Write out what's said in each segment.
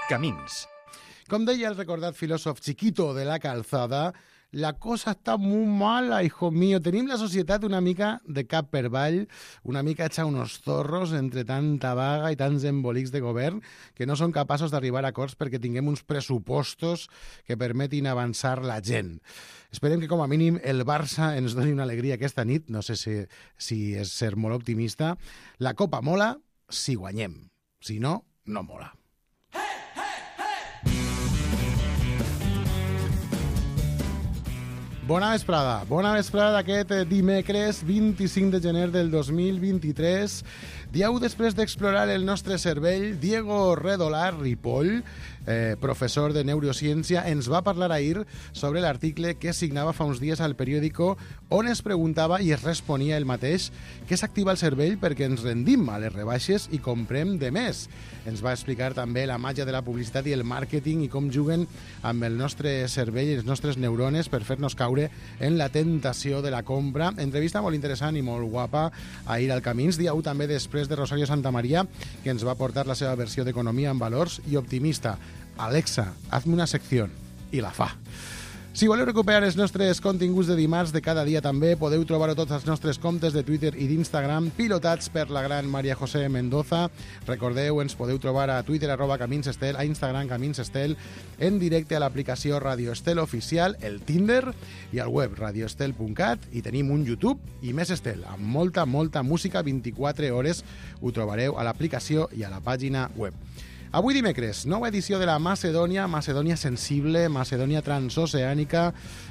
Camins. Com deia el recordat filòsof Chiquito de la Calzada, la cosa està molt mala, hijo mío. Tenim la societat una mica de cap per avall, una mica hecha unos zorros entre tanta vaga i tants embolics de govern que no són capaços d'arribar a acords perquè tinguem uns pressupostos que permetin avançar la gent. Esperem que com a mínim el Barça ens doni una alegria aquesta nit, no sé si és ser molt optimista. La Copa mola si guanyem, si no, no mola. Bona vesprada d'aquest dimecres 25 de gener del 2023. Dieu després d'explorar el nostre cervell, Diego Redolar Ripoll, professor de neurociència, ens va parlar ahir sobre l'article que signava fa uns dies al periòdico on es preguntava i es responia el mateix què s'activa el cervell perquè ens rendim a les rebaixes i comprem de més. Ens va explicar també la màgia de la publicitat i el màrqueting i com juguen amb el nostre cervell i les nostres neurones per fer-nos caure en la tentació de la compra. Entrevista molt interessant i molt guapa ahir al Camins. Dia 1 també després de Rosario Santamaría, que ens va portar la seva versió d'Economia en Valors i Optimista. Alexa, hazme una secció. I la fa. Si voleu recuperar els nostres continguts de dimarts de cada dia també, podeu trobar-ho tots als nostres comptes de Twitter i d'Instagram, pilotats per la gran Maria José Mendoza. Recordeu, ens podeu trobar a Twitter @CaminsEstel, a Instagram CaminsEstel, en directe a l'aplicació Radio Estel Oficial, el Tinder i al web radioestel.cat, i tenim un YouTube i més Estel, amb molta música 24 hores. Ho trobareu a l'aplicació i a la pàgina web. Avui dimecres, nova edició de la Macedònia, Macedònia sensible, Macedònia transoceànica,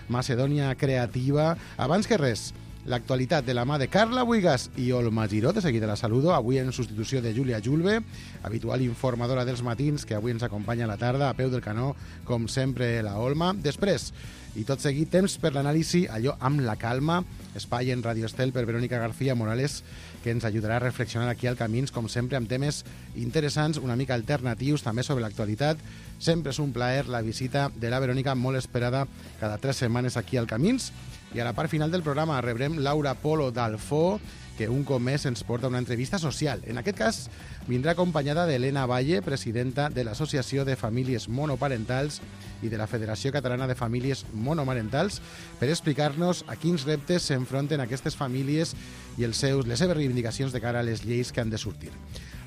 Macedònia creativa. Abans que res, l'actualitat de la mà de Carla Buigas i Olma Giró, de seguida la saludo, avui en substitució de Júlia Julve, habitual informadora dels matins, que avui ens acompanya a la tarda, a peu del canó, com sempre, la Olma. Després, i tot seguit, temps per l'anàlisi, allò amb la calma, espai en Radio Estel per Verónica García Morales, que ens ajudarà a reflexionar aquí al Camins, com sempre, amb temes interessants, una mica alternatius, també sobre l'actualitat. Sempre és un plaer la visita de la Verónica, molt esperada cada 3 setmanes aquí al Camins. I a la part final del programa rebrem Laura Polo d'Alfó, que un cop més ens porta una entrevista social. En aquest cas, vindrà acompanyada d'Helena Valle, presidenta de l'Associació de Famílies Monoparentals i de la Federació Catalana de Famílies Monomarentals, per explicar-nos a quins reptes s'enfronten aquestes famílies i les seves reivindicacions de cara a les lleis que han de sortir.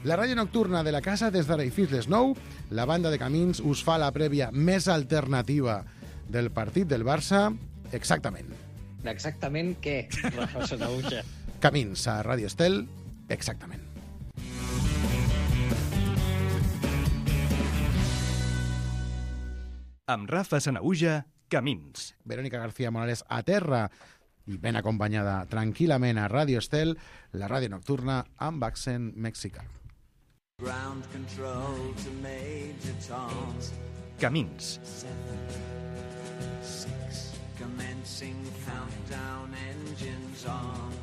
La ràdio nocturna de la casa des d'ara i fins les 9. La banda de Camins us fa la prèvia més alternativa del partit del Barça. Exactament. Exactament què, Rafa Sanauja? Camins a Ràdio Estel, exactament. Amb Rafa Sanauja, Camins. Verónica García Morales a terra i ben acompanyada tranquil·lament a Ràdio Estel, la ràdio nocturna amb accent mexicà. Ground control to Major Tom. Camins. 7, 6, commencing countdown, engines on.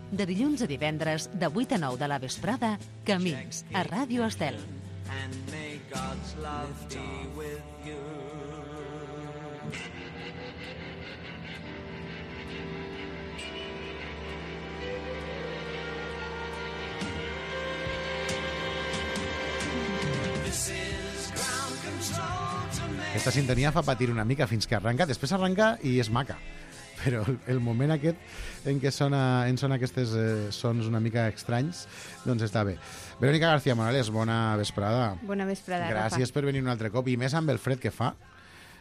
De dilluns a divendres, de 8 a 9 de la vesprada, Camins, a Ràdio Estel. And may God's love be with you. This is ground control to Aquesta sintonia fa patir una mica fins que arranca, després arranca i és maca. Però el moment aquest en què sona aquests sons una mica estranys, doncs està bé. Verónica García Morales, bona vesprada. Bona vesprada, Gràcies Rafa. per venir un altre cop, i més amb el fred que fa,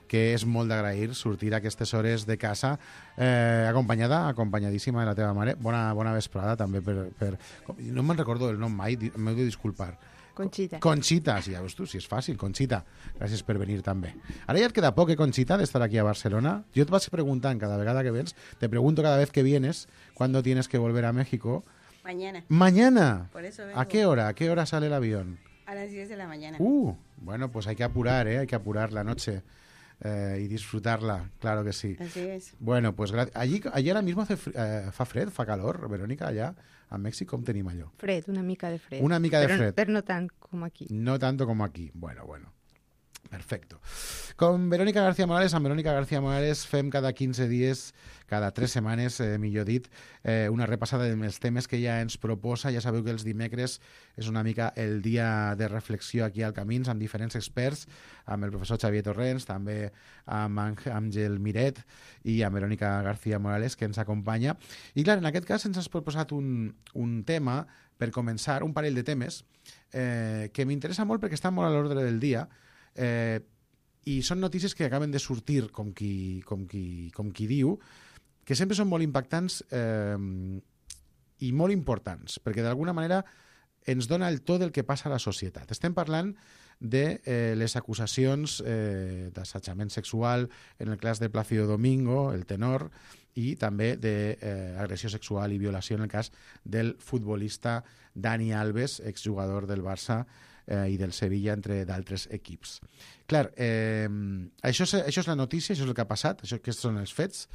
que és molt d'agrair sortir a aquestes hores de casa, acompanyadíssima de la teva mare. Bona vesprada també no me'n recordo el nom mai, m'heu de disculpar. Conxita. Conxita, sí, ja veus tu, si és fàcil, Conxita. Gràcies per venir també. Ara ja et queda poc, Conxita, d'estar aquí a Barcelona. Jo et vas preguntant cada vegada que vens, te pregunto cada vez que vienes, ¿cuándo tienes que volver a México? Mañana. ¿Mañana? Por eso vengo. ¿A qué hora? ¿A qué hora sale el avión? A las 10 de la mañana. Bueno, pues hay que apurar, hay que apurar la noche y disfrutarla, claro que sí. Así es. Bueno, pues allí ahora mismo fa fred, fa calor, Verónica, allá a Mèxic, com tenim allò? Fred, una mica de fred. Una mica de fred. Però no tant com aquí. No tanto como aquí. Bueno. Perfecto. Con Verónica García Morales, amb Verónica García Morales fem cada 15 dies, cada 3 setmanes, millor dit, una repassada dels temes que ella ens proposa. Ja sabeu que els dimecres és una mica el dia de reflexió aquí al Camins, amb diferents experts, amb el professor Xavier Torrents, també amb Àngel Miret i amb Verónica García Morales, que ens acompanya. I clar, en aquest cas ens has proposat un tema, per començar, un parell de temes, que m'interessa molt perquè estan molt a l'ordre del dia, i són notícies que acaben de sortir, com qui diu, que sempre són molt impactants i molt importants, perquè d'alguna manera ens dona el to del que passa a la societat. Estem parlant de les acusacions d'assetjament sexual en el cas de Plácido Domingo, el tenor, i també d'agressió sexual i violació en el cas del futbolista Dani Alves, exjugador del Barça i del Sevilla, entre d'altres equips. Clar, això és la notícia, això és el que ha passat, aquests són els fets,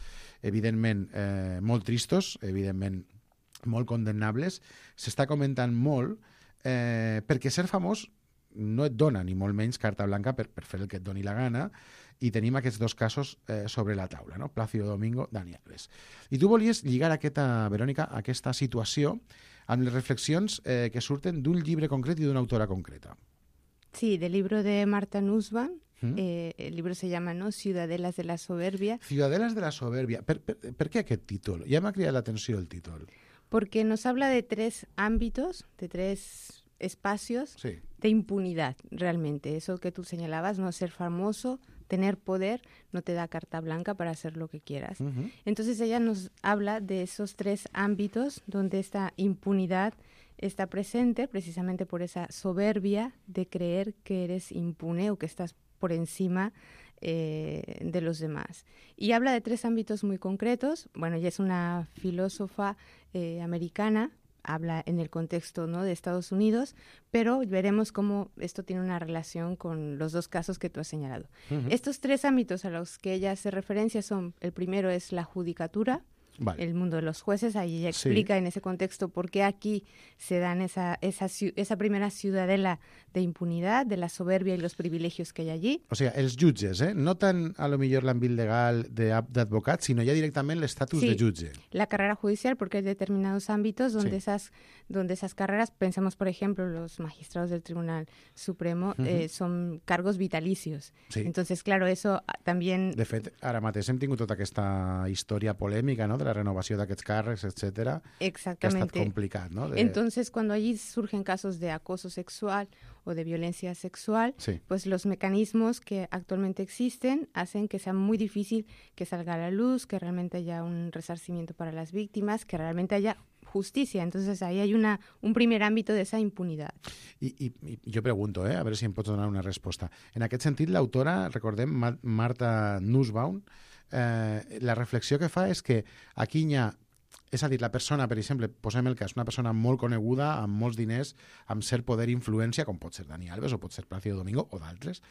evidentment molt tristos, evidentment molt condemnables. S'està comentant molt perquè ser famós no et dona ni molt menys carta blanca per fer el que et doni la gana, i tenim aquests dos casos sobre la taula, no? Plácido Domingo, Dani Alves. I tu volies lligar Verònica, aquesta situació amb les reflexions que surten d'un llibre concret i d'una autora concreta. Sí, del libro de Marta Nussbaum. El libro se llama, ¿no?, Ciudadelas de la Soberbia. Ciudadelas de la Soberbia. Per què aquest títol? Ja m'ha cridat l'atenció el títol. Porque nos habla de 3 ámbitos, de 3 espacios de impunidad, realmente. Eso que tú señalabas, no ser famoso, tener poder, no te da carta blanca para hacer lo que quieras. Entonces ella nos habla de esos 3 ámbitos donde esta impunidad está presente, precisamente por esa soberbia de creer que eres impune o que estás por encima de los demás. Y habla de 3 ámbitos muy concretos. Bueno, ella es una filósofa americana, habla en el contexto, ¿no?, de Estados Unidos, pero veremos cómo esto tiene una relación con los 2 casos que tú has señalado. Estos 3 ámbitos a los que ella hace referencia son, el primero es la judicatura, el mundo de los jueces. Ahí ella explica en ese contexto por qué aquí se dan esa primera ciudadela de impunidad, de la soberbia y los privilegios que hay allí. O sea, els jutges, no tan a lo millor l'àmbit legal d'advocat, sinó ja directament l'estatus de jutge. La carrera judicial, porque hay determinados ámbitos donde esas carreras, pensemos por ejemplo los magistrados del Tribunal Supremo, son cargos vitalicios. Entonces, claro, eso también... De fet, ara mateix hem tingut tota aquesta història polèmica, no?, de la renovació d'aquests càrrecs, etcétera. Exactamente. Que ha estat complicat, ¿no? Entonces, cuando allí surgen casos de acoso sexual o de violencia sexual, pues los mecanismos que actualmente existen hacen que sea muy difícil que salga a la luz, que realmente haya un resarcimiento para las víctimas, que realmente haya justicia. Entonces, ahí hay un primer ámbito de esa impunidad. I jo pregunto, a veure si em pots donar una resposta. En aquest sentit, l'autora, recordem, Marta Nussbaum, la reflexió que fa és que aquí hi ha, és a dir, la persona, per exemple, posem el cas, una persona molt coneguda, amb molts diners, amb cert poder i influència, com pot ser Dani Alves o pot ser Plácido Domingo o d'altres,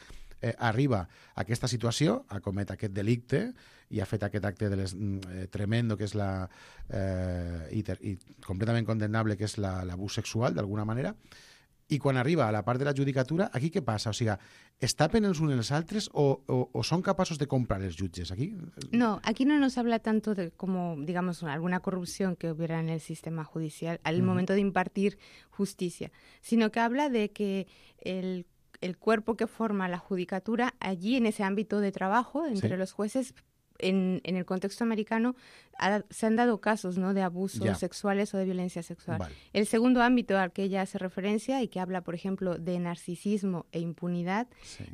arriba a aquesta situació, ha comet aquest delicte i ha fet aquest acte tremendo, que és i completament condemnable, que és l'abús sexual, d'alguna manera. I quan arriba a la part de la judicatura, aquí què passa? O sigui, es tapen els uns els altres o són capaços de comprar els jutges? Aquí? No, aquí no nos habla tanto de como, digamos, alguna corrupción que hubiera en el sistema judicial al momento de impartir justicia, sino que habla de que el cuerpo que forma la judicatura, allí en ese ámbito de trabajo entre los jueces, en el contexto americano se han dado casos, ¿no?, de abusos sexuales o de violencia sexual. El segundo ámbito al que ella hace referencia y que habla, por ejemplo, de narcisismo e impunidad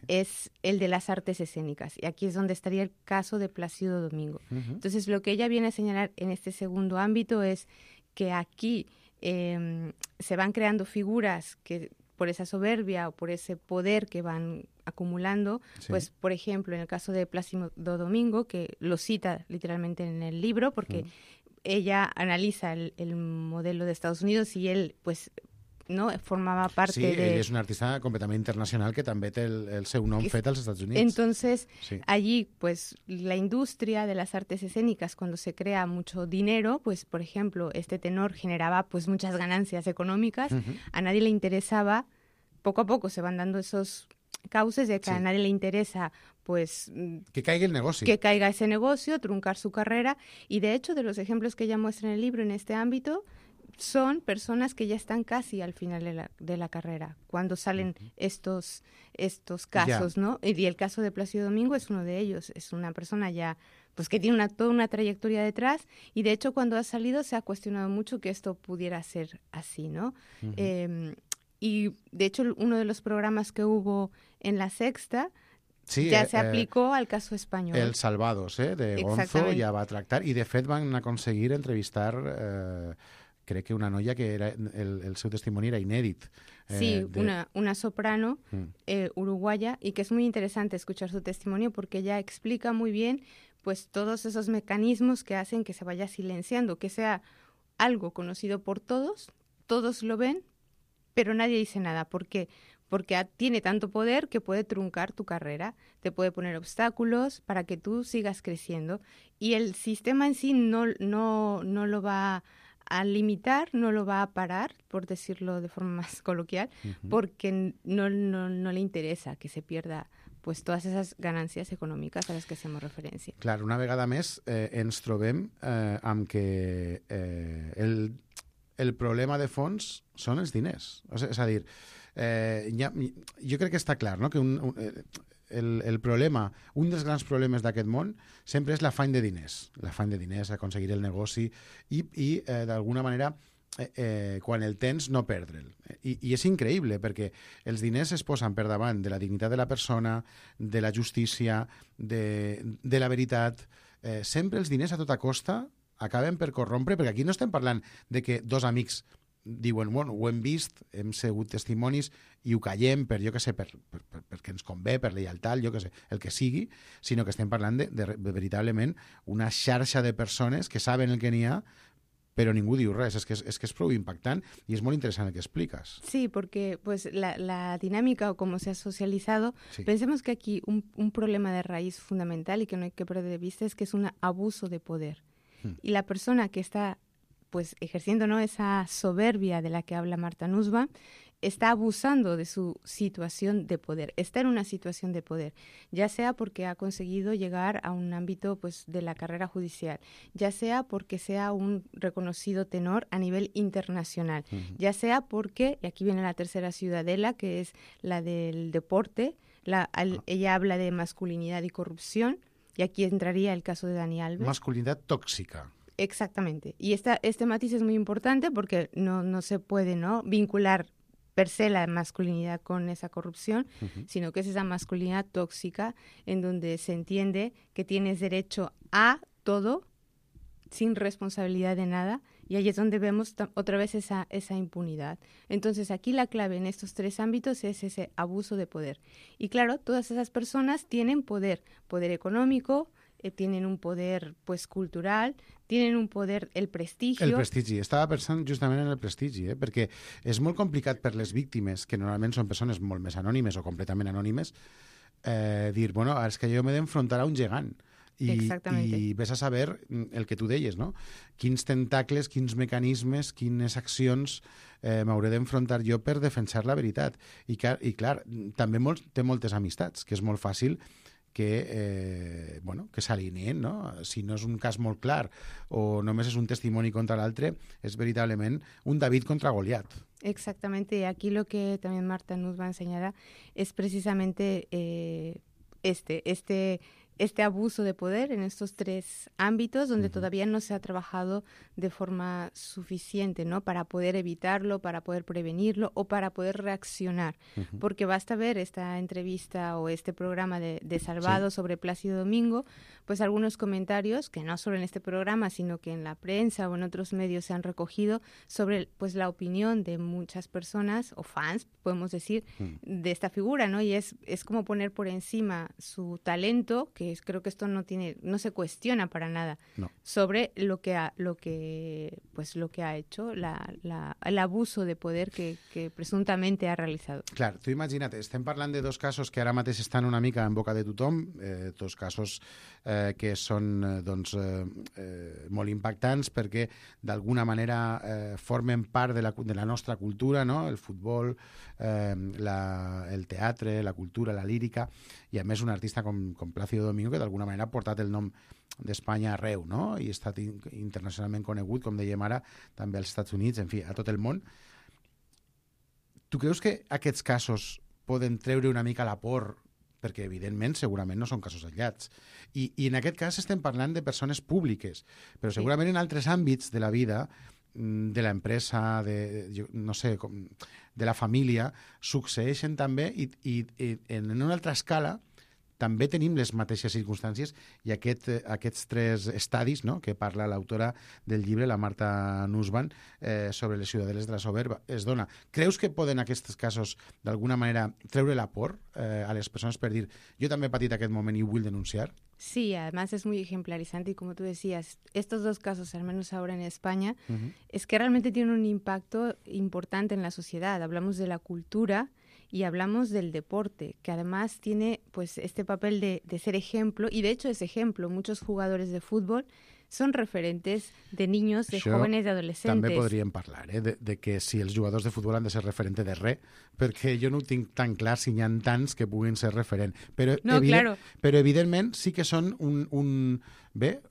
es el de las artes escénicas. Y aquí es donde estaría el caso de Plácido Domingo. Entonces, lo que ella viene a señalar en este segundo ámbito es que aquí se van creando figuras que por esa soberbia o por ese poder que van acumulando, pues por ejemplo en el caso de Plácido Domingo, que lo cita literalmente en el libro, porque ella analiza el modelo de Estados Unidos y él pues no formaba parte de... Sí, ell és un artista completament internacional que també té el seu nom fet als Estats Units. Entonces, allí, pues, la industria de las artes escénicas, cuando se crea mucho dinero, pues, por ejemplo, este tenor generaba, pues, muchas ganancias económicas, a nadie le interesaba, poco a poco se van dando esos cauces de que a Sí. nadie le interesa pues Que caiga el negocio. que caiga ese negocio, truncar su carrera. Y de hecho, de los ejemplos que ella muestra en el libro en este ámbito, son personas que ya están casi al final de la carrera, cuando salen estos casos, ¿no? Y el caso de Plácido Domingo es uno de ellos. Es una persona ya pues que tiene toda una trayectoria detrás, y de hecho cuando ha salido se ha cuestionado mucho que esto pudiera ser así, ¿no? Y de hecho uno de los programas que hubo en La Sexta Sí, ya se aplicó al caso español. El Salvados, de Gonzo, Exactament. ja va tractar, i de fet van aconseguir entrevistar crec que una noia que era el seu testimoni era inèdit. Sí, una soprano uruguaya, y que es muy interesante escuchar su testimonio porque ella explica muy bien pues todos esos mecanismos que hacen que se vaya silenciando, que sea algo conocido por todos, todos lo ven, pero nadie dice nada. ¿Por qué? Porque tiene tanto poder que puede truncar tu carrera, te puede poner obstáculos para que tú sigas creciendo, y el sistema en sí no lo va a limitar, no lo va a parar, por decirlo de forma más coloquial, porque no le interesa que se pierda pues todas esas ganancias econòmiques a les que hacemos referència. Clar, una vegada més ens trobem amb que el problema de fons són els diners. O sigui, és a dir, jo crec que està clar, no?, que el problema, un dels grans problemes d'aquest món sempre és l'afany de diners, aconseguir el negoci i d'alguna manera quan el tens no perdre'l. I és increïble perquè els diners es posen per davant de la dignitat de la persona, de la justícia, de la veritat. Sempre els diners a tota costa acaben per corrompre, perquè aquí no estem parlant de que dos amics diuen, bueno, ho hem vist, hem segut testimonis i ho callem per, jo què sé, perquè ens convé, per lleialtat, jo què sé, el que sigui, sinó que estem parlant de veritablement una xarxa de persones que saben el que n'hi ha, pero ningú diu res. Es que es prou impactant y es muy interesante el que explicas. Sí, porque pues la dinámica o cómo se ha socializado, Sí. pensemos que aquí un problema de raíz fundamental y que no hay que perder de vista es que es un abuso de poder. Y la persona que está pues ejerciendo, ¿no?, esa soberbia de la que habla Marta Nussbaum, está abusando de su situación de poder, está en una situación de poder, ya sea porque ha conseguido llegar a un ámbito pues de la carrera judicial, ya sea porque sea un reconocido tenor a nivel internacional, ya sea porque, y aquí viene la tercera ciudadela, que es la del deporte, ella habla de masculinidad y corrupción, y aquí entraría el caso de Dani Alves. Masculinidad tóxica. Exactamente. Y este matiz es muy importante porque no se puede, ¿no?, vincular per se la masculinidad con esa corrupción, sino que es esa masculinidad tóxica en donde se entiende que tienes derecho a todo sin responsabilidad de nada, y ahí es donde vemos otra vez esa impunidad. Entonces aquí la clave en estos tres ámbitos es ese abuso de poder. Y claro, todas esas personas tienen poder económico, tienen un poder pues cultural, tienen un poder, el prestigi. El prestigi. Estava pensant justament en el prestigi, perquè és molt complicat per les víctimes, que normalment són persones molt més anònimes o completament anònimes, dir, bueno, és que jo m'he d'enfrontar a un gegant. I ves a saber el que tu deies, no? Quins tentacles, quins mecanismes, quines accions m'hauré d'enfrontar jo per defensar la veritat. I clar, també té moltes amistats, que és molt fàcil que s'alineïn, no? Si no és un cas molt clar o només és un testimoni contra l'altre, és veritablement un David contra Goliat. Exactamente, y aquí lo que también Marta Nussbaum enseñará es precisamente este abuso de poder en estos tres ámbitos donde todavía no se ha trabajado de forma suficiente, ¿no?, para poder evitarlo, para poder prevenirlo o para poder reaccionar. Porque basta ver esta entrevista o este programa de Salvado sobre Plácido Domingo, pues algunos comentarios que no solo en este programa, sino que en la prensa o en otros medios se han recogido sobre pues la opinión de muchas personas o fans, podemos decir, de esta figura, ¿no? Y es como poner por encima su talento, que creo que esto no se cuestiona para nada No. sobre lo que ha hecho, el abuso de poder que presumptamente ha realizado. Clar, tu imagina't, estem parlant de dos casos que ara mateix estan una mica en boca de tothom, dos casos que són molt impactants perquè d'alguna manera formen part de la nostra cultura, no? El futbol, el teatre, la cultura, la lírica, i a més un artista com Plácido Domingo que d'alguna manera ha portat el nom d'Espanya arreu, no? I ha estat internacionalment conegut, com dèiem ara, també als Estats Units, en fi, a tot el món. Tu creus que aquests casos poden treure una mica la por? Perquè, evidentment, segurament no són casos aïllats. I en aquest cas estem parlant de persones públiques, però segurament en altres àmbits de la vida, de l'empresa, no sé, de la família, succeeixen també i en una altra escala també tenim les mateixes circumstàncies i aquests tres estadis, no?, que parla l'autora del llibre, la Marta Nussbaum, sobre les ciudadeles de la soberba, es dona. Creus que poden aquests casos d'alguna manera treure la por a les persones per dir jo també he patit aquest moment i ho vull denunciar? Sí, además es muy ejemplarizante y como tú decías, estos dos casos, al menos ahora en España, es que realmente tienen un impacto importante en la sociedad. Hablamos de la cultura y hablamos del deporte, que además tiene pues este papel de ser ejemplo, y de hecho es ejemplo. Muchos jugadores de fútbol són referentes de niños, de jóvenes, de adolescentes. També podríem parlar de que si els jugadors de futbol han de ser referente de res, perquè jo no ho tinc tan clar si n'hi ha tants que puguin ser referent. Però, claro. Però evidentment sí que són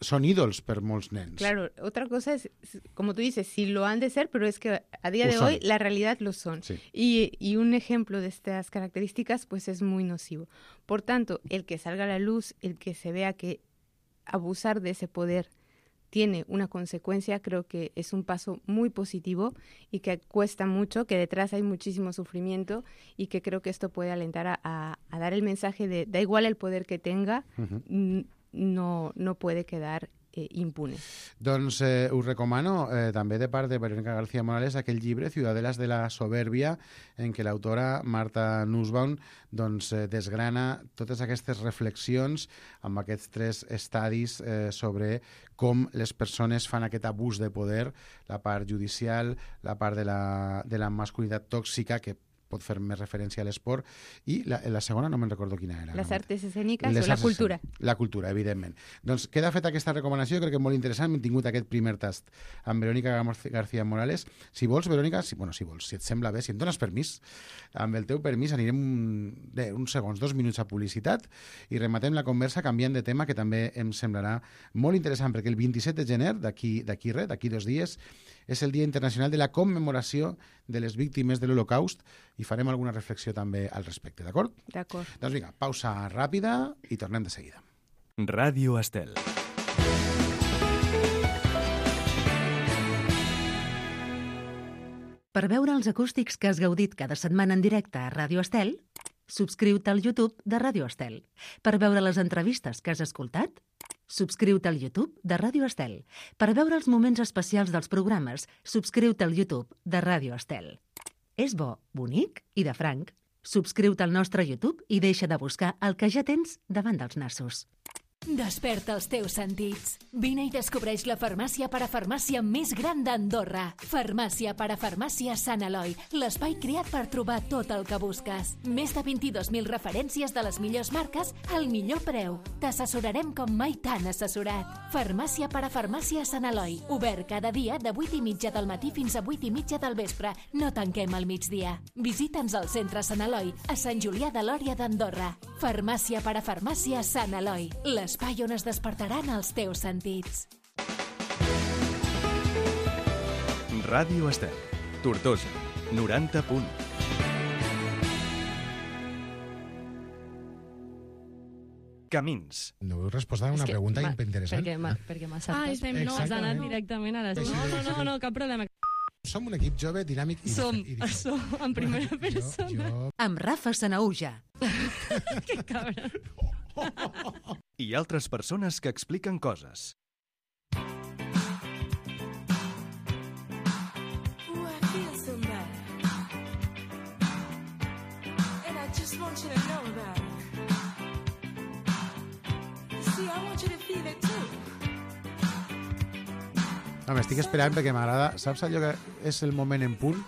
son ídols per molts nens. Claro, otra cosa es, como tú dices, si lo han de ser, pero es que a día de hoy la realidad lo son. Sí. Y un ejemplo de estas características pues es muy nocivo. Por tanto, el que salga a la luz, el que se vea que abusar de ese poder tiene una consecuencia, creo que es un paso muy positivo y que cuesta mucho, que detrás hay muchísimo sufrimiento y que creo que esto puede alentar a dar el mensaje de da igual el poder que tenga, no puede quedar impune. Doncs us recomano també de part de Verónica García Morales aquell llibre Ciudadelas de la Soberbia, en què l'autora Marta Nussbaum desgrana totes aquestes reflexions amb aquests tres estadis sobre com les persones fan aquest abús de poder, la part judicial, la part de la masculinitat tòxica, que pot fer més referència a l'esport, i la segona no me'n recordo quina era. Les arts escèniques o la cultura. La cultura, evidentment. Doncs queda feta aquesta recomanació, crec que és molt interessant. Hem tingut aquest primer tast amb Verónica García Morales. Si vols, Verónica, si et sembla bé, si em dones permís, amb el teu permís anirem uns segons, 2 minuts a publicitat i rematem la conversa canviant de tema, que també em semblarà molt interessant, perquè el 27 de gener, d'aquí 2 dies, és el Dia Internacional de la Commemoració de les Víctimes de l'Holocaust i farem alguna reflexió també al respecte, d'acord? D'acord. Doncs vinga, pausa ràpida i tornem de seguida. Ràdio Estel. Per veure els acústics que has gaudit cada setmana en directe a Ràdio Estel, subscriu-te al YouTube de Ràdio Estel. Per veure les entrevistes que has escoltat, subscriu-te al YouTube de Ràdio Estel. Per veure els moments especials dels programes, subscriu-te al YouTube de Ràdio Estel. És bo, bonic i de franc. Subscriu-te al nostre YouTube i deixa de buscar el que ja tens davant dels nassos. Desperta els teus sentits. Vine i descobreix la farmàcia parafarmàcia més gran d'Andorra. Farmàcia parafarmàcia Sant Eloi, l'espai creat per trobar tot el que busques. Més de 22.000 referències de les millors marques al millor preu. T'assessorarem com mai t'han assessorat. Farmàcia parafarmàcia Sant Eloi, obert cada dia de 8:30 del matí fins a 8:30 del vespre. No tanquem al migdia. Visita'ns al centre Sant Eloi, a Sant Julià de Lòria d'Andorra. Farmàcia parafarmàcia Sant Eloi, l'espai on es despertaran els teus sentits. Ràdio Estel, Tortosa, 90 punt. Camins. No heu respost a una pregunta interessant. Perquè m'ha saltat. No, has anat directament a les... No, cap problema. Som un equip jove, dinàmic i Som en primera persona. Amb Rafa Sanauja. Que cabra. I altres persones que expliquen coses. See, I want you to feel it too. No, m'estic esperant perquè m'agrada. Saps allò que és el moment en punt?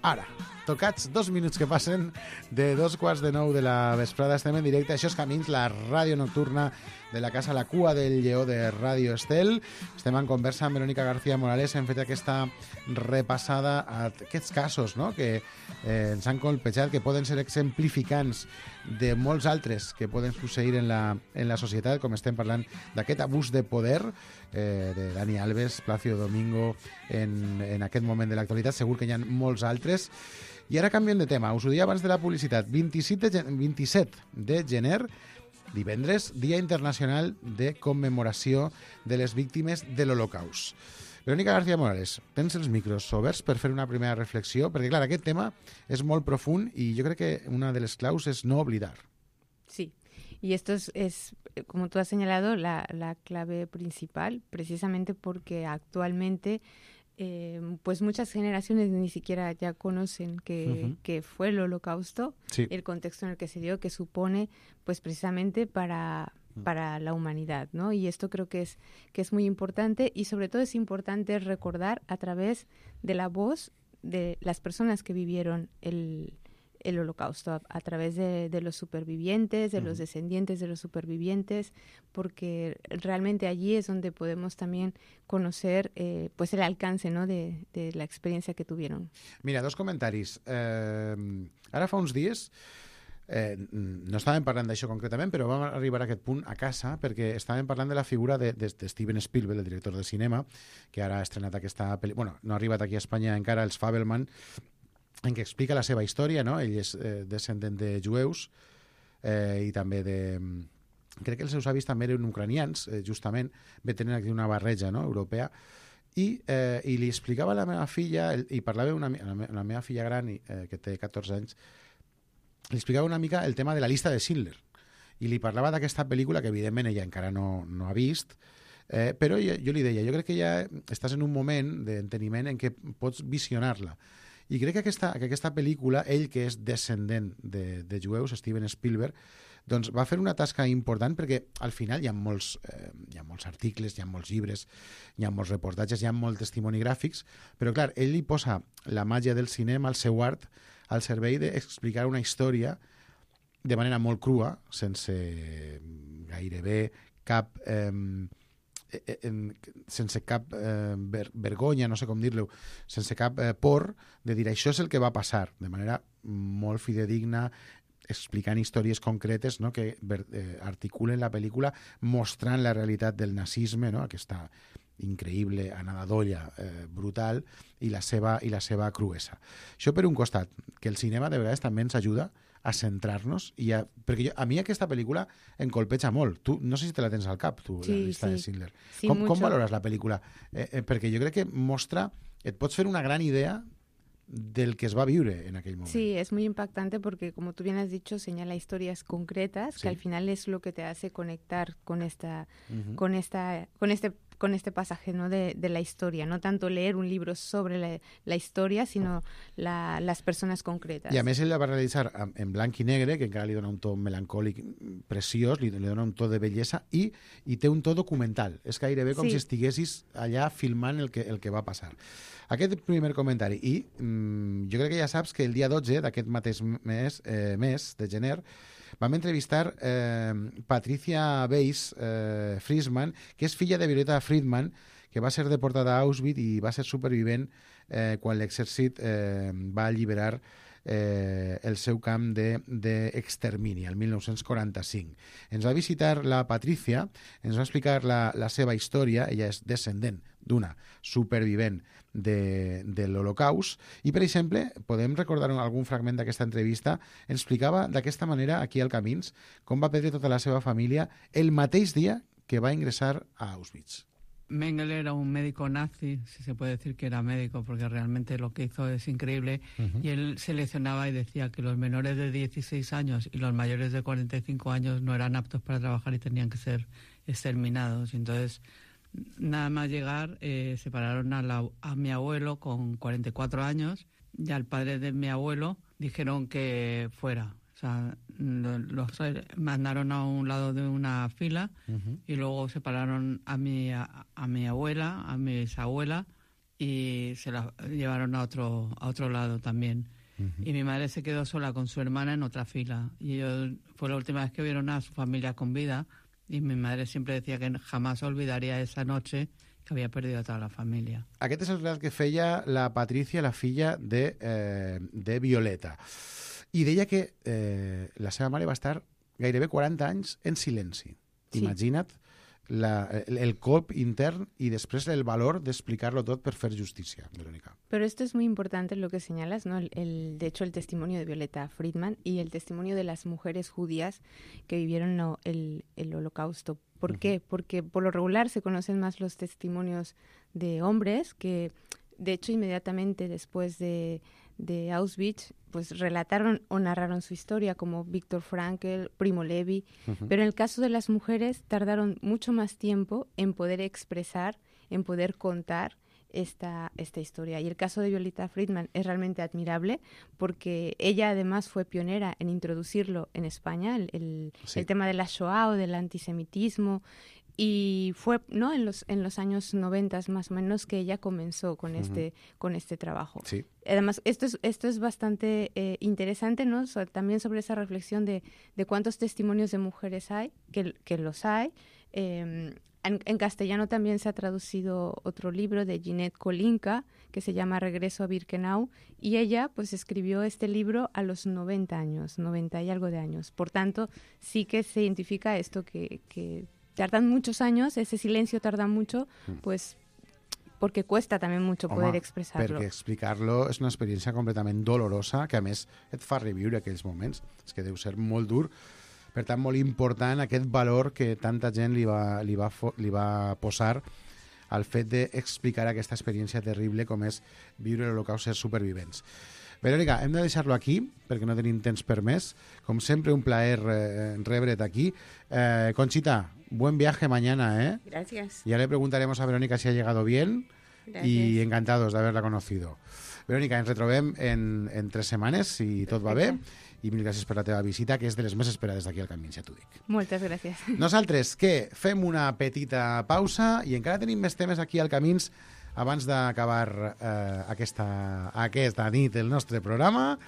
Ara, tocats 2 minuts que passen de 2:15 de la vesprada. Estem en directe. Això és Camins, la ràdio nocturna de la casa La Cua del Lleó de Ràdio Estel. Estem en conversa amb Verónica García Morales. Hem fet aquesta repassada a aquests casos, no?, que ens han colpejat, que poden ser exemplificants de molts altres que poden succeir en la societat, com estem parlant d'aquest abús de poder de Dani Alves, Plácido Domingo, en aquest moment de l'actualitat. Segur que hi ha molts altres. I ara canviem de tema. Us ho deia abans de la publicitat. 27 de gener, divendres, Dia Internacional de Commemoració de les Víctimes de l'Holocaust. Verónica García Morales, tens els micros oberts per fer una primera reflexió, perquè, clar, aquest tema és molt profund i jo crec que una de les claus es no oblidar. Sí, y esto es como tú has señalado, la clave principal, precisamente porque actualmente pues muchas generaciones ni siquiera ya conocen que fue el Holocausto, sí, el contexto en el que se dio, que supone pues precisamente para la humanidad, ¿no? Y esto creo que es muy importante, y sobre todo es importante recordar a través de la voz de las personas que vivieron el Holocausto, a través de los supervivientes, de los descendientes de los supervivientes, porque realmente allí es donde podemos también conocer pues el alcance, ¿no?, de la experiencia que tuvieron. Mira, 2 comentaris. Ara fa uns dies no estàvem parlant d'això concretament, però vam arribar a aquest punt a casa perquè estàvem parlant de la figura de Steven Spielberg, el director de cinema, que ara ha estrenat aquesta pel·lícula. Bueno, no ha arribat aquí a Espanya encara, Els Fabelman, en què explica la seva història, no? Ell és descendent de jueus i també de... Crec que els seus avis també eren ucranians, justament, ve tenint aquí una barreja, no?, europea, i li explicava a la meva filla, i parlava la meva filla gran, que té 14 anys, li explicava una mica el tema de la llista de Schindler, i li parlava d'aquesta pel·lícula que evidentment ella encara no ha vist, però jo li deia, jo crec que ja estàs en un moment d'enteniment en què pots visionar-la. I crec que aquesta pel·lícula, ell que és descendent de jueus, Steven Spielberg, doncs va fer una tasca important perquè al final hi ha molts articles, hi ha molts llibres, hi ha molts reportatges, hi ha molts testimonogràfics, però clar, ell li posa la màgia del cinema, el seu art, al servei d'explicar una història de manera molt crua, sense gairebé cap... sense cap vergonya, no sé com dir-lo, sense cap por de dir això és el que va passar, de manera molt fidedigna, explicant històries concretes, no?, que articulen la pel·lícula mostrant la realitat del nazisme, no?, aquesta increïble anada d'olla brutal, i la seva cruesa. Això per un costat, que el cinema de vegades també ens ajuda a centrar-nos, perquè a mi aquesta pel·lícula em colpeja molt. Tu, no sé si te la tens al cap, tu, sí, la llista de Schindler. Sí, com valores la pel·lícula? Perquè jo crec que mostra, et pots fer una gran idea del que es va viure en aquell moment. Sí, es muy impactante porque, como tú bien has dicho, señala historias concretas, sí, que al final es lo que te hace conectar con con este pasaje, ¿no?, de la historia. No tanto leer un libro sobre la historia, sino las persones concretes. I a més ell la va realitzar en blanc i negre, que encara li dona un to melancòlic preciós, li dona un to de bellesa, i té un to documental. És gairebé com si estiguessis allà filmant el que va passar. Aquest primer comentari. I jo crec que ja saps que el dia 12 d'aquest mateix mes de gener vam entrevistar Patricia Weiss Friedman, que és filla de Violeta Friedman, que va ser deportada a Auschwitz i va ser supervivent quan l'exèrcit va alliberar el seu camp d'extermini, el 1945. Ens va visitar la Patricia, ens va explicar la seva història. Ella és descendent d'una supervivent de l'Holocaust, i per exemple podem recordar algun fragment d'aquesta entrevista. Ens explicava d'aquesta manera aquí al Camins com va perdre tota la seva família el mateix dia que va ingressar a Auschwitz. Mengele era un médico nazi, si se puede decir que era médico, porque realmente lo que hizo es increíble, y él seleccionaba y decía que los menores de 16 años y los mayores de 45 años no eran aptos para trabajar y tenían que ser exterminados. Entonces, nada más llegar, separaron a mi abuelo con 44 años y al padre de mi abuelo dijeron que fuera. sea, los mandaron a un lado de una fila y luego separaron a mi abuela, a mi bisabuela y se la llevaron a otro lado también. Y mi madre se quedó sola con su hermana en otra fila. Y ellos, fue la última vez que vieron a su familia con vida. Y mi madre siempre decía que jamás olvidaría esa noche que havia perdut a tota la família. Aquest és el relat que feia la Patrícia, la filla de Violeta. I deia que la seva mare va estar gairebé 40 anys en silenci. Sí. Imagina't el colp intern y después el valor de explicarlo todo per fer justicia, Verónica. Pero esto es muy importante lo que señalas, ¿no? De hecho, el testimonio de Violeta Friedman y el testimonio de las mujeres judías que vivieron el Holocausto. ¿Por qué? Porque por lo regular se conocen más los testimonios de hombres que, de hecho, inmediatamente después de Auschwitz, pues relataron o narraron su historia, como Viktor Frankl, Primo Levi, pero en el caso de las mujeres tardaron mucho más tiempo en poder expresar, en poder contar esta historia. Y el caso de Violeta Friedman es realmente admirable porque ella además fue pionera en introducirlo en España, el tema de la Shoah o del antisemitismo. Y fue, ¿no?, en los años 90 más o menos que ella comenzó con este trabajo. Sí. Además, esto es bastante interesante, ¿no? También sobre esa reflexión de cuántos testimonios de mujeres hay, que los hay. En castellano también se ha traducido otro libro de Ginette Kolinka que se llama Regreso a Birkenau, y ella pues escribió este libro a los 90 años, 90 y algo de años. Por tanto, sí que se identifica esto que tardan muchos años, ese silencio tarda mucho, pues porque cuesta també mucho poder expressar-lo. Perquè explicar-lo és una experiència completament dolorosa, que a més et fa reviure aquells moments. És que deu ser molt dur. Per tant, molt important aquest valor que tanta gent li va posar al fet d'explicar aquesta experiència terrible com és viure l'Holocaust, ser supervivents. Verónica, hem de deixar-lo aquí, perquè no tenim temps per més. Com sempre, un plaer rebre't aquí. Conchita, buen viaje mañana, ¿eh? Gracias. Ya le preguntaremos a Verónica si ha llegado bien. Gracias. Y encantados de haberla conocido. Verónica, ens retrobem en 3 setmanes, si tot va bé. I mil gràcies per la teva visita, que és de les més esperades d'aquí al Camins, ja t'ho dic. Moltes gràcies. Nosaltres, què? Fem una petita pausa i encara tenim més temes aquí al Camins abans d'acabar aquesta nit el nostre programa.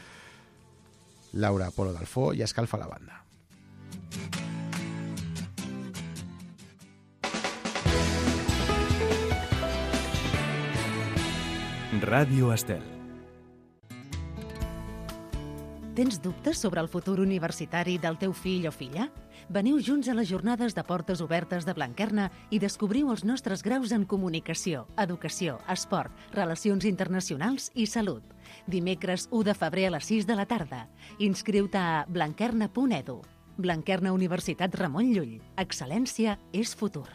Laura Polo d'Alfó ja escalfa la banda. Ràdio Estel. Tens dubtes sobre el futur universitari del teu fill o filla? Veniu junts a les jornades de portes obertes de Blanquerna i descobriu els nostres graus en comunicació, educació, esport, relacions internacionals i salut. Dimecres 1 de febrer a les 6 de la tarda. Inscriu-te a blanquerna.edu. Blanquerna Universitat Ramon Llull. Excel·lència és futur.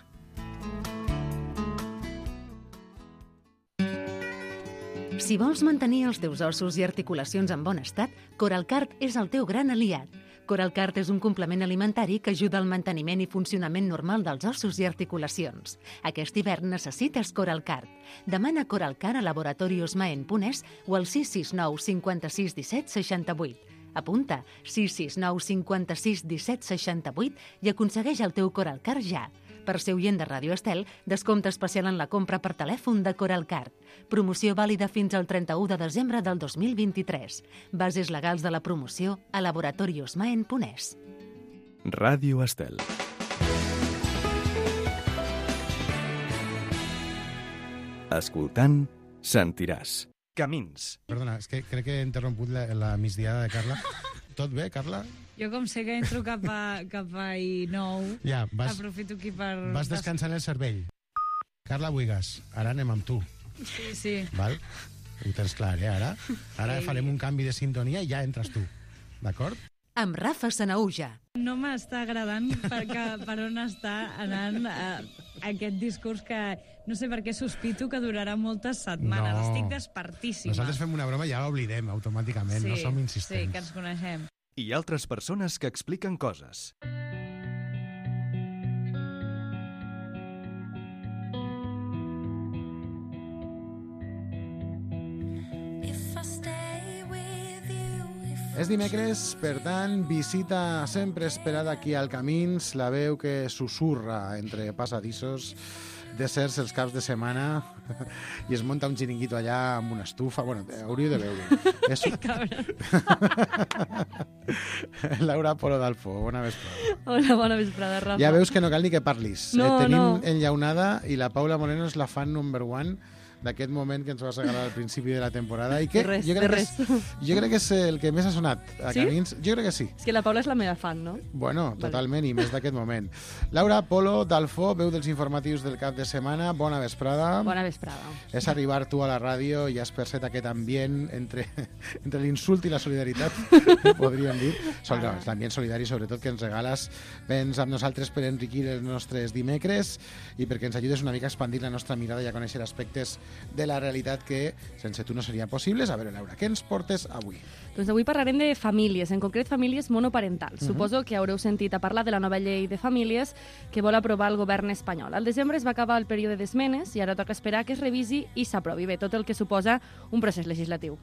Si vols mantenir els teus ossos i articulacions en bon estat, Coralcart és el teu gran aliat. Coralcart és un complement alimentari que ajuda al manteniment i funcionament normal dels ossos i articulacions. Aquest hivern necessites Coralcart. Demana Coralcart a Laboratorios Maen Punès o al 669 56 17 68. Apunta 669 56 17 68 i aconsegueix el teu Coralcart ja. Per ser oient de Ràdio Estel, descompte especial en la compra per telèfon de Coralcart. Promoció vàlida fins al 31 de desembre del 2023. Bases legals de la promoció a Laboratorios Maen Punès. Ràdio Estel. Escoltant, sentiràs. Camins. Perdona, és que crec que he interromput la migdiada de Carla. Tot bé, Carla? Jo com sé que entro cap a I9, ja, aprofito aquí per... Vas descansant el cervell. Carla Buigas, ara anem amb tu. Sí, sí. Val? Ho tens clar, Ara farem un canvi de sintonia i ja entres tu. D'acord? Amb Rafa Sanaúja. No m'està agradant per on està anant aquest discurs que no sé per què sospito que durarà moltes setmanes. No. Estic despertíssima. Nosaltres fem una broma i ja l'oblidem automàticament, sí, no som insistents. Sí, que ens coneixem. I altres persones que expliquen coses. If I stay with you, if És dimecres, per tant, visita sempre esperada aquí al Camins, la veu que susurra entre passadissos, deserts els caps de setmana i es munta un xiringuito allà amb una estufa. Bueno, hauríeu de veure. És... Laura Polo d'Alfo, bona vesprada. Hola, bona vesprada, Rafa. Ja veus que no cal ni que parlis. No, tenim enllaunada i la Paula Moreno és la fan number one d'aquest moment que ens vas regalar al principi de la temporada i que jo crec que és el que més ha sonat a Camins. Jo crec que sí. És que la Paula és la meva fan, no? Bueno, totalment, i més d'aquest moment. Laura Polo d'Alfo, veu dels informatius del cap de setmana, bona vesprada. Bona vesprada. És arribar tu a la ràdio i has percet aquest ambient entre l'insult i la solidaritat, podríem dir. L'ambient solidari, sobretot, que ens regales. Vens amb nosaltres per enriquir els nostres dimecres i perquè ens ajudes una mica a expandir la nostra mirada i a conèixer aspectes de la realitat que sense tu no serien possibles. A veure, Laura, què ens portes avui? Doncs avui parlarem de famílies, en concret famílies monoparentals. Suposo que haureu sentit a parlar de la nova llei de famílies que vol aprovar el govern espanyol. Al desembre es va acabar el període d'esmenes i ara toca esperar que es revisi i s'aprovi. Bé, tot el que suposa un procés legislatiu.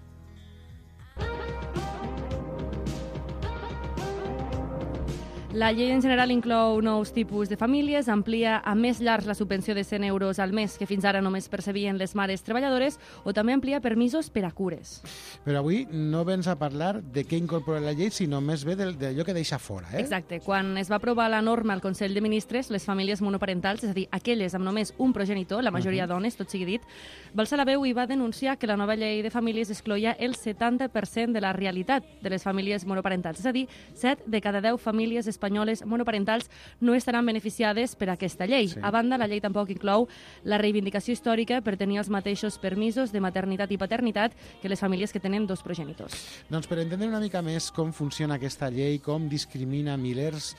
La llei en general inclou nous tipus de famílies, amplia a més llars la subvenció de 100 euros al mes que fins ara només percebien les mares treballadores o també amplia permisos per a cures. Però avui no vens a parlar de què incorpora la llei, sinó més bé d'allò que deixa fora. Exacte. Quan es va aprovar la norma al Consell de Ministres, les famílies monoparentals, és a dir, aquelles amb només un progenitor, la majoria dones, tot sigui dit, va alçar la veu i va denunciar que la nova llei de famílies excloïa el 70% de la realitat de les famílies monoparentals. És a dir, 7 de cada 10 famílies espanyoles monoparentals no estaran beneficiades per aquesta llei. Sí. A banda, la llei tampoc inclou la reivindicació històrica per tenir els mateixos permisos de maternitat i paternitat que les famílies que tenen dos progenitors. Doncs per entendre una mica més com funciona aquesta llei, com discrimina milers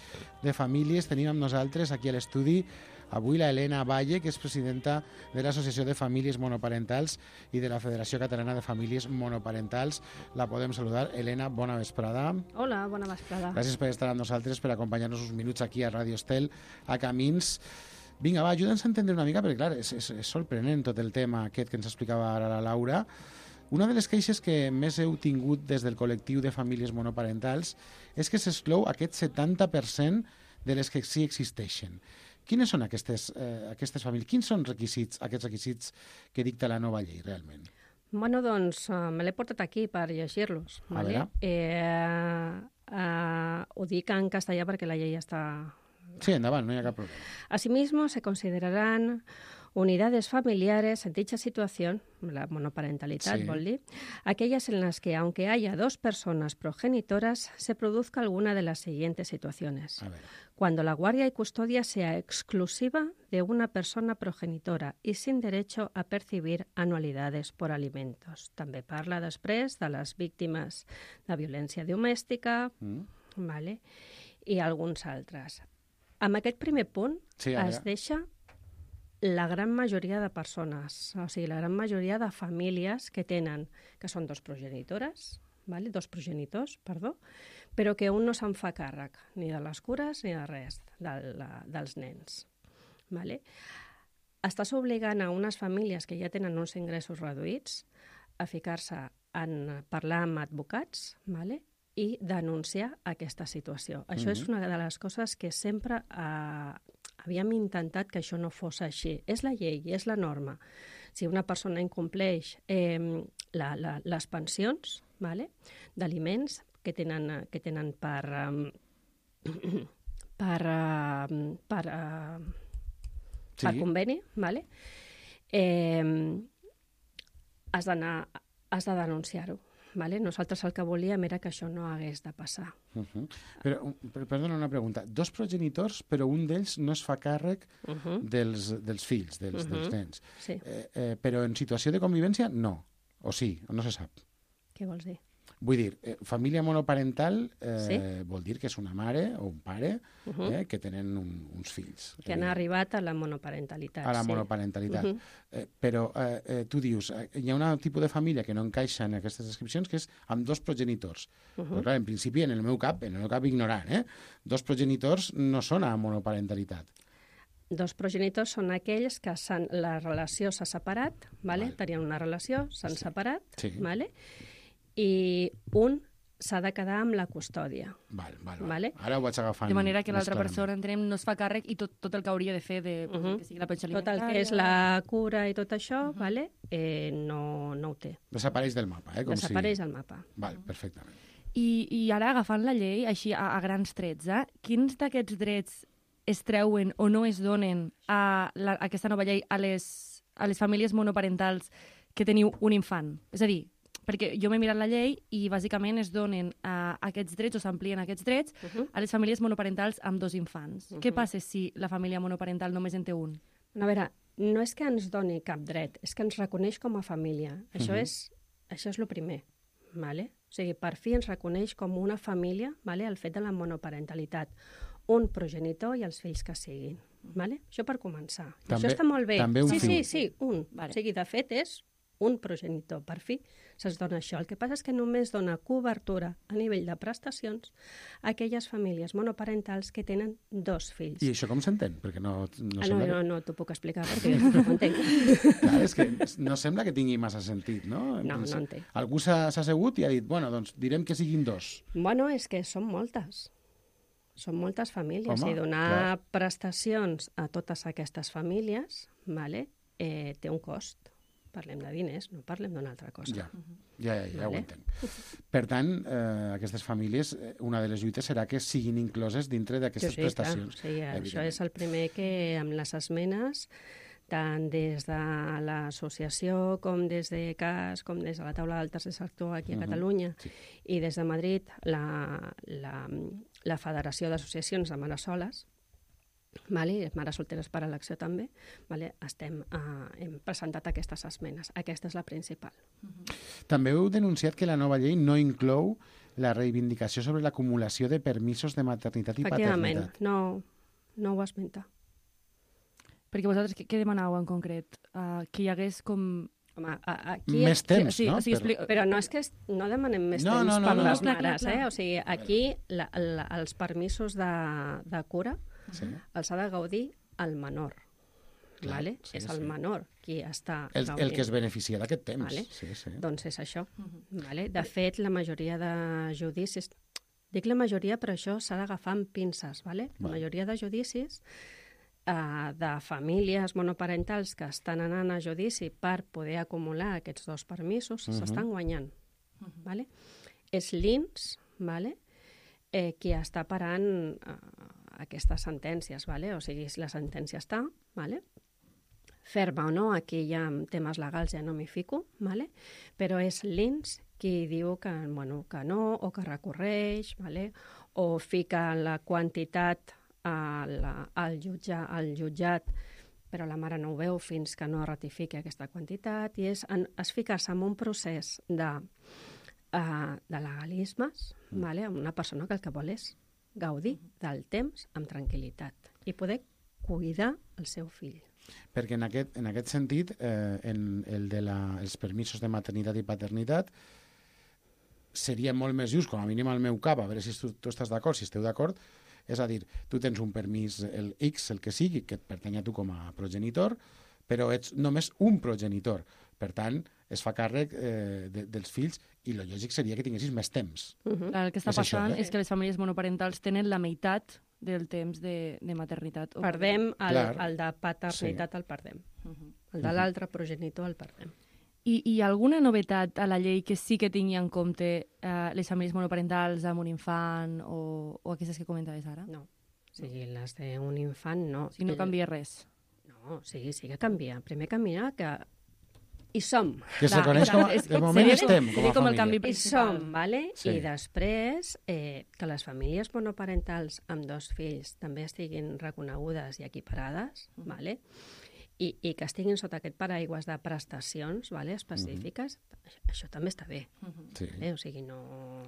de famílies, tenim amb nosaltres aquí a l'estudi avui la Elena Valle, que és presidenta de l'Associació de Famílies Monoparentals i de la Federació Catalana de Famílies Monoparentals. La podem saludar. Elena, bona vesprada. Hola, bona vesprada. Gràcies per estar amb nosaltres, per acompanyar-nos uns minuts aquí a Ràdio Estel, a Camins. Vinga, va, ajuda'ns a entendre una mica, perquè clar, és sorprenent tot el tema aquest que ens explicava ara la Laura. Una de les queixes que més heu tingut des del col·lectiu de famílies monoparentals és que s'exclou aquest 70% de les que sí existeixen. Quines són aquestes famílies? Quins són aquests requisits que dicta la nova llei, realment? Bueno, doncs me l'he portat aquí per llegir-los. ¿vale? Ho dic en castellà perquè la llei està... Sí, endavant, no hi ha cap problema. Asimismo, se considerarán unidades familiares en dicha situación, la monoparentalidad, sí, aquellas en las que, aunque haya dos personas progenitoras, se produzca alguna de las siguientes situaciones. Cuando la guardia y custodia sea exclusiva de una persona progenitora y sin derecho a percibir anualidades por alimentos. També parla després de les víctimes de violència domèstica, vale? I alguns altres. Amb aquest primer punt es deixa la gran majoria de persones, o sigui, la gran majoria de famílies que tenen, que són dos progenitores, vale? Dos progenitors, perdó, però que un no se'n fa càrrec ni de les cures ni de res dels nens. Vale? Estàs obligant a unes famílies que ja tenen uns ingressos reduïts a ficar-se en parlar amb advocats, vale? I denunciar aquesta situació. Això és una de les coses que sempre havíem intentat que això no fos així. És la llei, és la norma. Si una persona incompleix les pensions, vale? D'aliments que tenen per conveni, vale? Has de denunciar-ho. Vale? Nosaltres el que volíem era que això no hagués de passar. Però, perdona, una pregunta. Dos progenitors, però un d'ells no es fa càrrec dels fills, dels nens. Sí. Però en situació de convivència, no. O sí, o no se sap. Què vols dir? Vull dir, família monoparental vol dir que és una mare o un pare que tenen uns fills. Que han arribat a la monoparentalitat. A la monoparentalitat. Però tu dius, hi ha un tipus de família que no encaixa en aquestes descripcions, que és amb dos progenitors. Però clar, en principi, en el meu cap ignorant, dos progenitors no són a monoparentalitat. Dos progenitors són aquells que la relació s'ha separat, vale? Tenien una relació, s'han separat, vale? I un s'ha de quedar amb la custòdia. Vale. Ara ho vaig agafant. De manera que més l'altra clarament. persona, entenem, no es fa càrrec i tot el que hauria de fer de que sigui la pensió Tot el alimentària... que és la cura i tot això, vale? No ho té. Desapareix del mapa, com Desapareix del mapa. Val, perfectament. I ara, agafant la llei, així a grans trets, quins d'aquests drets es treuen o no es donen a aquesta nova llei a les famílies monoparentals que teniu un infant? És a dir, perquè jo m'he mirat la llei i bàsicament es donen aquests drets o s'amplien aquests drets a les famílies monoparentals amb 2 infants. Què passa si la família monoparental només en té un? A veure, no és que ens doni cap dret, és que ens reconeix com a família. Això és el primer. Vale? O sigui, per fi ens reconeix com una família, vale? El fet de la monoparentalitat. Un progenitor i els fills que siguin. Vale? Això per començar. Això està molt bé. També un fill. Sí, un. Vale. O sigui, de fet, és un progenitor. Per fi se'ls dona això. El que passa és que només dona cobertura a nivell de prestacions a aquelles famílies monoparentals que tenen 2 fills. I això com s'entén? Perquè no t'ho puc explicar perquè no ho entenc. Clar, és que no sembla que tingui massa sentit, no? No en té. Algú s'ha assegut i ha dit, bueno, doncs direm que siguin 2. Bueno, és que són moltes. Són moltes famílies. Home, i donar prestacions a totes aquestes famílies, vale, té un cost. Parlem de diners, no parlem d'una altra cosa. Ja ho entenc. Per tant, aquestes famílies, una de les lluites serà que siguin incloses dintre d'aquestes prestacions. Sí, això és el primer que amb les esmenes, tant des de l'associació com des de CAS, com des de la taula del tercer sector aquí a Catalunya i des de Madrid, la Federació d'Associacions de Mares Soles, vale? Mares solteres per elecció també, vale? Hem presentat aquestes esmenes. Aquesta és la principal. També heu denunciat que la nova llei no inclou la reivindicació sobre l'acumulació de permisos de maternitat i paternitat. Efectivament, no ho esmenta. Perquè vosaltres què demanàveu en concret? Que hi hagués com... Home, aquí... Més temps, no? Però no és que no demanem més temps per les mares, O sigui, aquí els permisos de cura els ha de gaudir el menor. Vale? És el menor qui està gaudint. El que es beneficia d'aquest temps. Vale? Sí. Doncs és això. Vale? De fet, la majoria de judicis... Dic la majoria, però això s'ha d'agafar amb pinces. Vale? La majoria de judicis de famílies monoparentals que estan anant a judici per poder acumular aquests 2 permisos s'estan guanyant. Vale? És l'INS, vale? Qui està parant aquestes sentències, vale? O sigui, la sentència està, vale? Ferma o no, aquí ja en temes legals ja no m'hi fico, vale? Però és l'INS qui diu que no, o que recorreix, vale? O fica la quantitat al jutjat, però la mare no ho veu fins que no ratifiqui aquesta quantitat, i és ficar-se en un procés de legalismes, vale? Amb una persona que el que vol és gaudir del temps amb tranquil·litat i poder cuidar el seu fill. Perquè en aquest sentit, els permisos de maternitat i paternitat seria molt més just, com a mínim al meu cap, a veure si tu estàs d'acord, si esteu d'acord, és a dir, tu tens un permís, el X, el que sigui, que et pertany a tu com a progenitor, però ets només un progenitor. Per tant, es fa càrrec dels fills i el lògic seria que tinguessis més temps. El que està passant és que les famílies monoparentals tenen la meitat del temps de maternitat. Perdem el de paternitat, el perdem. El de l'altre progenitor el perdem. I hi ha alguna novetat a la llei que sí que tingui en compte les famílies monoparentals amb un infant o aquestes que comentaves ara? No. O sigui, les d'un infant no. I no canvia res? No, sí que canvia. Primer canvia que hi som. Que se coneix com de moment estem com a família. Hi som, vale? Sí. I després que les famílies monoparentals amb 2 fills també estiguin reconegudes i equiparades, vale? I que estiguin sota aquest paraigües de prestacions, vale, específiques, això també està bé. O sigui, no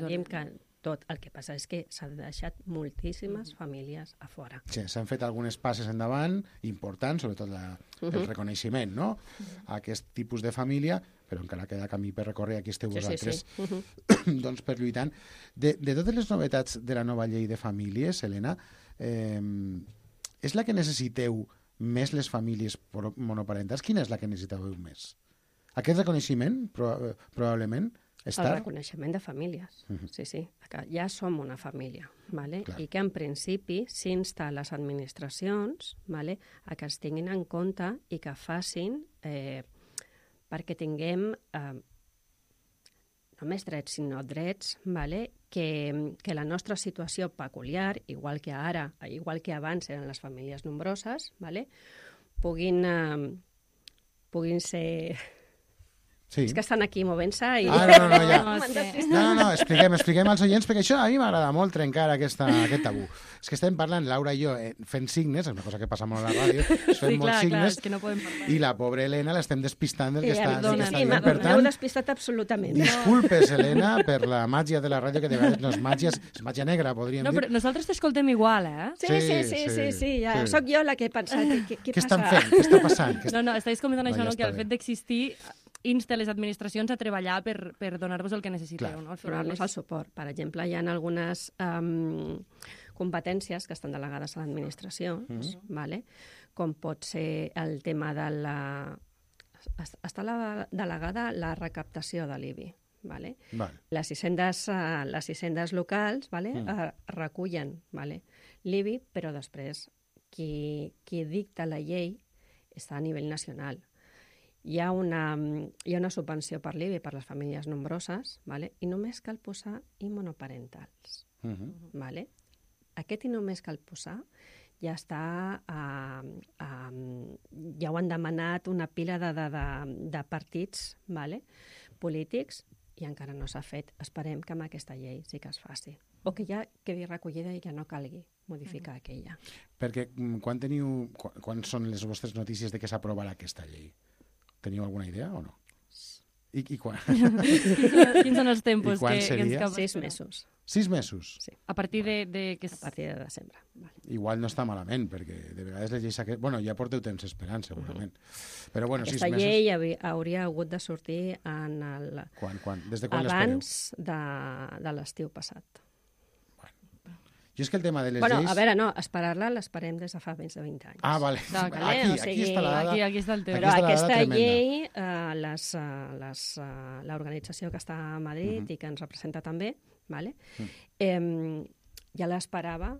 diem que tot. El que passa és que s'han deixat moltíssimes famílies a fora. Sí, s'han fet algunes passes endavant importants, sobretot el reconeixement, no? A aquest tipus de família, però encara queda camí per recórrer. Aquí esteu vosaltres doncs, per lluitant. De totes les novetats de la nova llei de famílies, Helena, és la que necessiteu més les famílies monoparentals? Quina és la que necessitàveu més? Aquest reconeixement, probablement? El reconeixement de famílies, sí, que ja som una família, vale? I que en principi s'insta a les administracions, vale, a que es tinguin en compte i que facin perquè tinguem no més drets, sinó drets, vale, que la nostra situació peculiar, igual que ara, igual que abans eren les famílies nombroses, vale, puguin ser... Sí. És que estan aquí movent-se i... No, expliquem als oients, perquè això a mi m'agrada molt trencar aquest tabú. És que estem parlant, Laura i jo, fent signes, és una cosa que passa molt a la ràdio, fem molts signes, és que no podem parlar. I la pobra Helena l'estem despistant del que està dient. Sí, m'heu despistat absolutament. Disculpes, Helena, per la màgia de la ràdio, que de vegades no és màgia, és màgia negra, podríem dir. No, però nosaltres t'escoltem igual, Sí, ja soc jo la que he pensat. Què estan fent? Què està passant? No, estàs comentant això, que el fet d'existir insta les administracions a treballar per donar-vos el que necessiteu. No? Donar-nos el suport. Per exemple, hi ha algunes competències que estan delegades a l'administració, vale? Com pot ser el tema de la... Està delegada la recaptació de l'IBI. Vale? Les hisendes locals, vale? Recullen, vale? l'IBI, però després qui dicta la llei està a nivell nacional. Hi ha una subvenció per l'IBI per les famílies nombroses, vale? I només cal posar i monoparentals. Vale? Aquest i només cal posar ja està... ja ho han demanat una pila de partits, vale? Polítics, i encara no s'ha fet. Esperem que amb aquesta llei sí que es faci. O que ja quedi recollida i que no calgui modificar aquella. Perquè quan són les vostres notícies de que s'aprovarà aquesta llei? Teniu alguna idea o no? I quan? Quins són els tempos que ens cap? 6 mesos. 6 mesos? Sí. A partir de... A partir de desembre. Vale. Igual no està malament, perquè de vegades les lleis... Bueno, ja porteu temps esperant, segurament. Però bueno, 6 mesos... Aquesta llei hauria hagut de sortir en el... Quan? Des de quan l'espereu? Abans de l'estiu passat. Jo és que el tema de les lleis... A veure, no, esperar-la l'esperem des de fa més de 20 anys. Ah, vale. Aquí està la dada. Aquí està el tema. Però aquesta llei, l'organització que està a Madrid i que ens representa també, vale? Ja l'esperava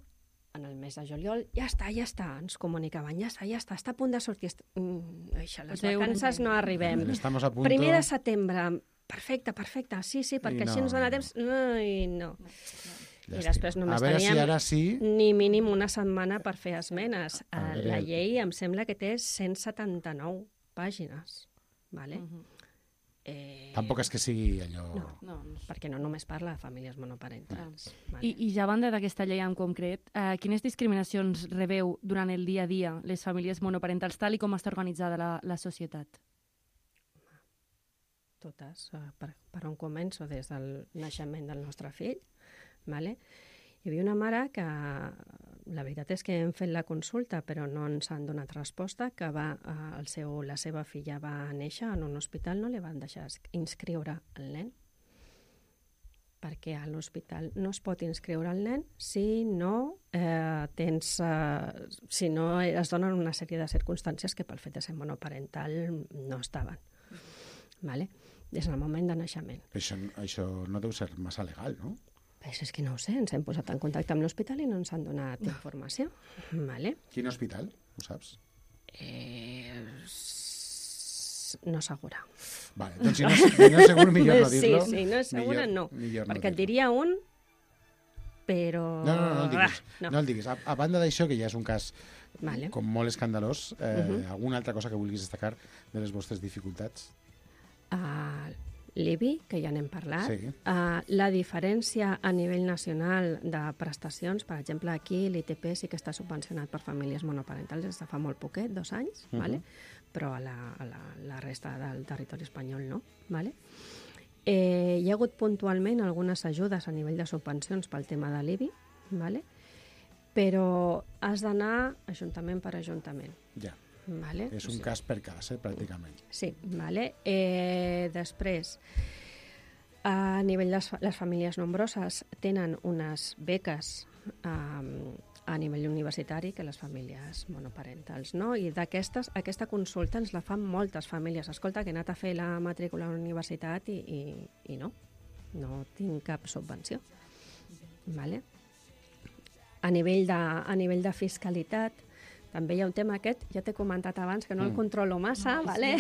en el mes de juliol. Ja està, ens comunicaven, ja està a punt de sortir. Les vacances no arribem. Primer de setembre, perfecte, sí, perquè així ens dona temps. No. I després només teníem ni mínim una setmana per fer esmenes. La llei em sembla que té 179 pàgines. Vale? Tampoc és que sigui allò... No, perquè no només parla de famílies monoparentals. Vale. I ja a banda d'aquesta llei en concret, quines discriminacions rebeu durant el dia a dia les famílies monoparentals, tal i com està organitzada la societat? Totes. Per on començo? Des del naixement del nostre fill. Vale? Hi havia una mare que, la veritat és que hem fet la consulta, però no ens han donat resposta, que la seva filla va néixer en un hospital, no li van deixar inscriure el nen, perquè a l'hospital no es pot inscriure el nen si no es donen una sèrie de circumstàncies que pel fet de ser monoparental no estaven. Vale? Des del moment de naixement. Això no deu ser massa legal, no? És que no ho sé, ens hem posat en contacte amb l'hospital i no ens han donat informació. Vale. Quin hospital? Ho saps? No segura. Vale, doncs si no és segur, millor no dir-lo. Sí, no és segura, no. Perquè et diria un, però... No el diguis. A banda d'això, que ja és un cas com molt escandalós, alguna altra cosa que vulguis destacar de les vostres dificultats? L'IBI, que ja n'hem parlat, la diferència a nivell nacional de prestacions, per exemple, aquí l'ITP sí que està subvencionat per famílies monoparentals des de fa molt poquet, 2 anys, vale? Però a la resta del territori espanyol no. Vale? Hi ha hagut puntualment algunes ajudes a nivell de subvencions pel tema de l'IBI, vale? Però has d'anar ajuntament per ajuntament. Ja. Vale? És un cas per cas, pràcticament. Sí, vale. Després, a nivell de les famílies nombroses tenen unes beques a nivell universitari que les famílies monoparentals, no? I aquesta consulta ens la fan moltes famílies. Escolta, que he anat a fer la matrícula a la universitat i no. no tinc cap subvenció. Vale? A nivell de fiscalitat, també hi ha un tema aquest, ja t'he comentat abans, que no el controlo massa, vale?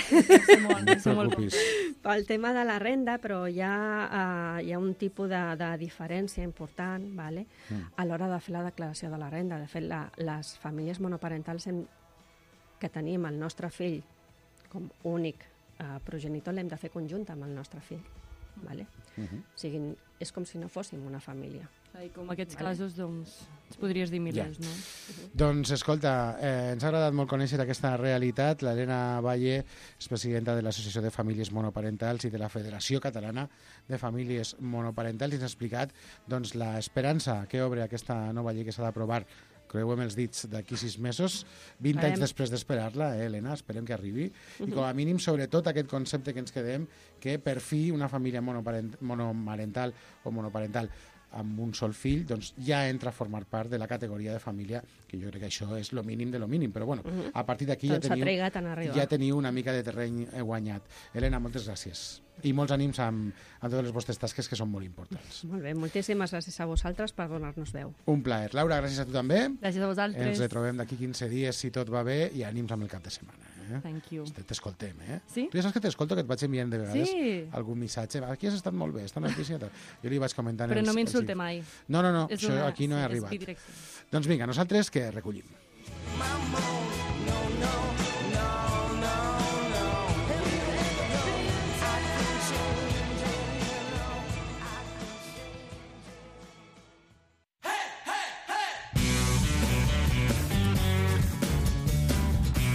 Pel tema de la renda, però hi ha un tipus de diferència important, vale? A l'hora de fer la declaració de la renda. De fet, les famílies monoparentals que tenim el nostre fill com únic progenitor l'hem de fer conjunta amb el nostre fill. Vale? O sigui, és com si no fóssim una família. I com aquests casos, doncs, ens podries dir milers, no? Doncs, escolta, ens ha agradat molt conèixer aquesta realitat. L'Helena Valle és presidenta de l'Associació de Famílies Monoparentals i de la Federació Catalana de Famílies Monoparentals, i ens ha explicat doncs, l'esperança que obre aquesta nova llei que s'ha d'aprovar, creuem els dits, d'aquí 6 mesos, 20 anys després d'esperar-la, Helena, esperem que arribi, i com a mínim, sobretot, aquest concepte que ens quedem, que per fi una família monomarental o monoparental amb un sol fill, doncs ja entra a formar part de la categoria de família, que jo crec que això és lo mínim de lo mínim, però bueno, a partir d'aquí ja teniu una mica de terreny guanyat. Helena, moltes gràcies. I molts ànims amb totes les vostres tasques, que són molt importants. Molt bé, moltíssimes gràcies a vosaltres per donar-nos veu. Un plaer. Laura, gràcies a tu també. Gràcies a vosaltres. Ens retrobem d'aquí 15 dies, si tot va bé, i ànims amb el cap de setmana. Thank you. T'escoltem, Sí? Tu ja saps que t'escolto, que et vaig enviant de vegades algun missatge. Aquí has estat molt bé, esta notícia. Jo li vaig comentant... Però no m'insulte mai. No, això aquí no he arribat. Doncs vinga, nosaltres que recollim.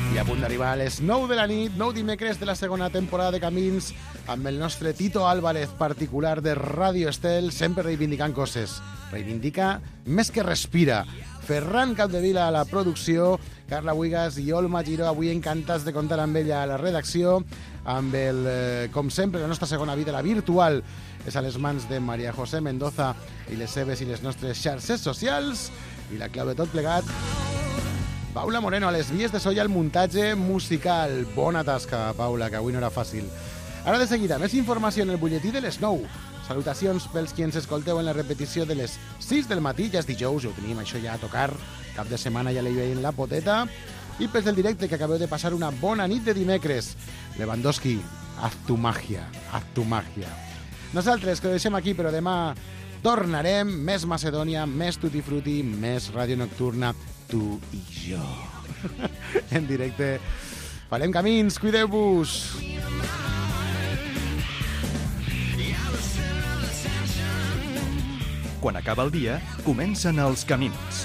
I a punt d'arribar a les 9 de la nit, 9 dimecres de la segona temporada de Camins, amb el nostre Tito Álvarez, particular de Ràdio Estel, sempre reivindicant coses. Reivindica més que respira. Ferran Capdevila a la producció, Carla Buigas i Olma Giró, avui encantats de comptar amb ella a la redacció, amb el, com sempre, la nostra segona vida, la virtual, és a les mans de Maria José Mendoza i les seves i les nostres xarxes socials, i la clau de tot plegat, Paula Moreno, a les vies de so i al muntatge musical. Bona tasca, Paula, que avui no era fàcil. Ara de seguida, més informació en el butlletí de les 9. Salutacions pels qui ens escolteu en la repetició de les 6 del matí, ja és dijous, ja ho tenim això ja a tocar, cap de setmana ja li veiem la poteta, i pels del directe, que acabeu de passar una bona nit de dimecres. Lewandowski, haz tu magia, haz tu magia. Nosaltres, que ho deixem aquí, però demà tornarem, més Macedònia, més Tutti Frutti, més Ràdio Nocturna, tu i jo. En directe. Farem camins, cuideu-vos. Quan acaba el dia, comencen els camins.